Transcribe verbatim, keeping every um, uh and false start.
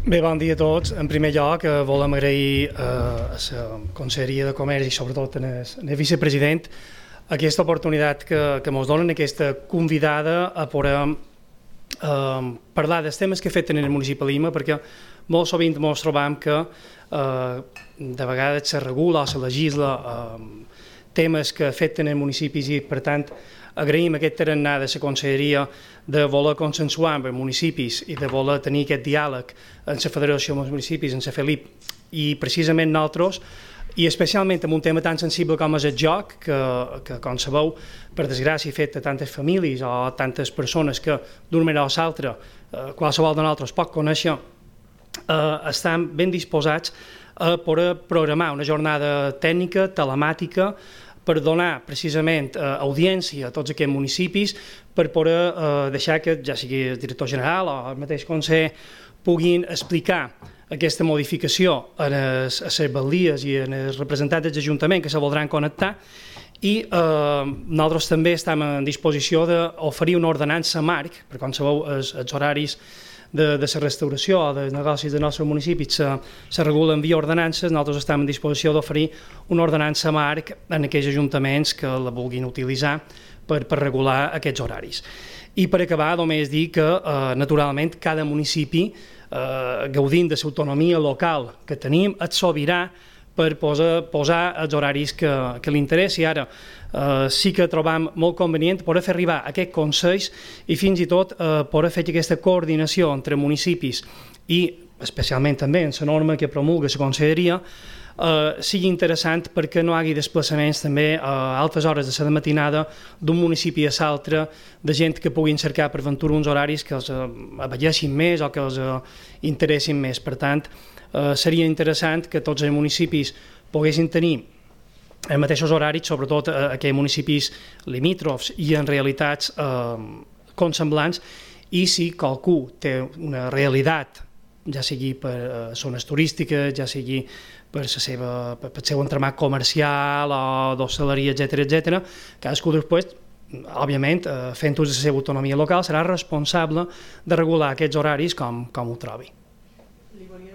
Bé, bon dia a tots. En primer lloc, eh, volem agrair eh, a la Conselleria de Comerç i sobretot al vicepresident aquesta oportunitat que, que ens donen, aquesta convidada a poder eh, parlar dels temes que afecten el municipi de Lima, perquè molt sovint ens trobam que eh, de vegades se regula o se legisla eh, temes que afecten els municipis i, per tant, agraïm aquest tarannà de la Conselleria de voler consensuar amb els municipis i de voler tenir aquest diàleg en la Federació dels Municipis, en la FELIP, i precisament nosaltres, i especialment amb un tema tan sensible com és el joc, que, que com sabeu, per desgràcia, afecta tantes famílies o tantes persones que d'una manera o l'altra, eh, qualsevol de nosaltres pot conèixer, eh, estan ben disposats a poder programar una jornada tècnica, telemàtica, per donar precisament eh, audiència a tots aquests municipis, per poder eh, deixar que, ja sigui el director general o el mateix Consell, puguin explicar aquesta modificació a les, a les baldies i a els representants dels ajuntaments que se voldran connectar, i eh, nosaltres també estem en disposició d'oferir una ordenança marc, perquè com sabeu els, els horaris de, de la restauració o dels negocis del nostre municipi se, se regulen via ordenances. Nosaltres estem en disposició d'oferir una ordenança marc en aquells ajuntaments que la vulguin utilitzar per, per regular aquests horaris. I per acabar, només dir que, eh, naturalment, cada municipi, eh, gaudint de l'autonomia local que tenim, és sobirà per posar, posar els horaris que, que li interessi. Ara, eh, sí que trobam molt convenient poder fer arribar aquests consells i fins i tot eh, poder fer aquesta coordinació entre municipis i, especialment també en la norma que promulga la Conselleria, eh, sigui interessant perquè no hi hagi desplaçaments també a altes hores de la matinada d'un municipi a l'altre, de gent que puguin cercar per ventura uns horaris que els eh, abelleixin més o que els eh, interessin més. Per tant, eh, seria interessant que tots els municipis poguessin tenir els mateixos horaris, sobretot eh, aquells municipis limítrofs i en realitats eh, consemblants, i si qualcú té una realitat, ja sigui per eh, zones turístiques, ja sigui per, la seva, per, per el seu entramat comercial o d'hostaleria, etcètera, etcètera, cadascú després, òbviament, eh, fent ús de la seva autonomia local, serà responsable de regular aquests horaris com, com ho trobi. Li volia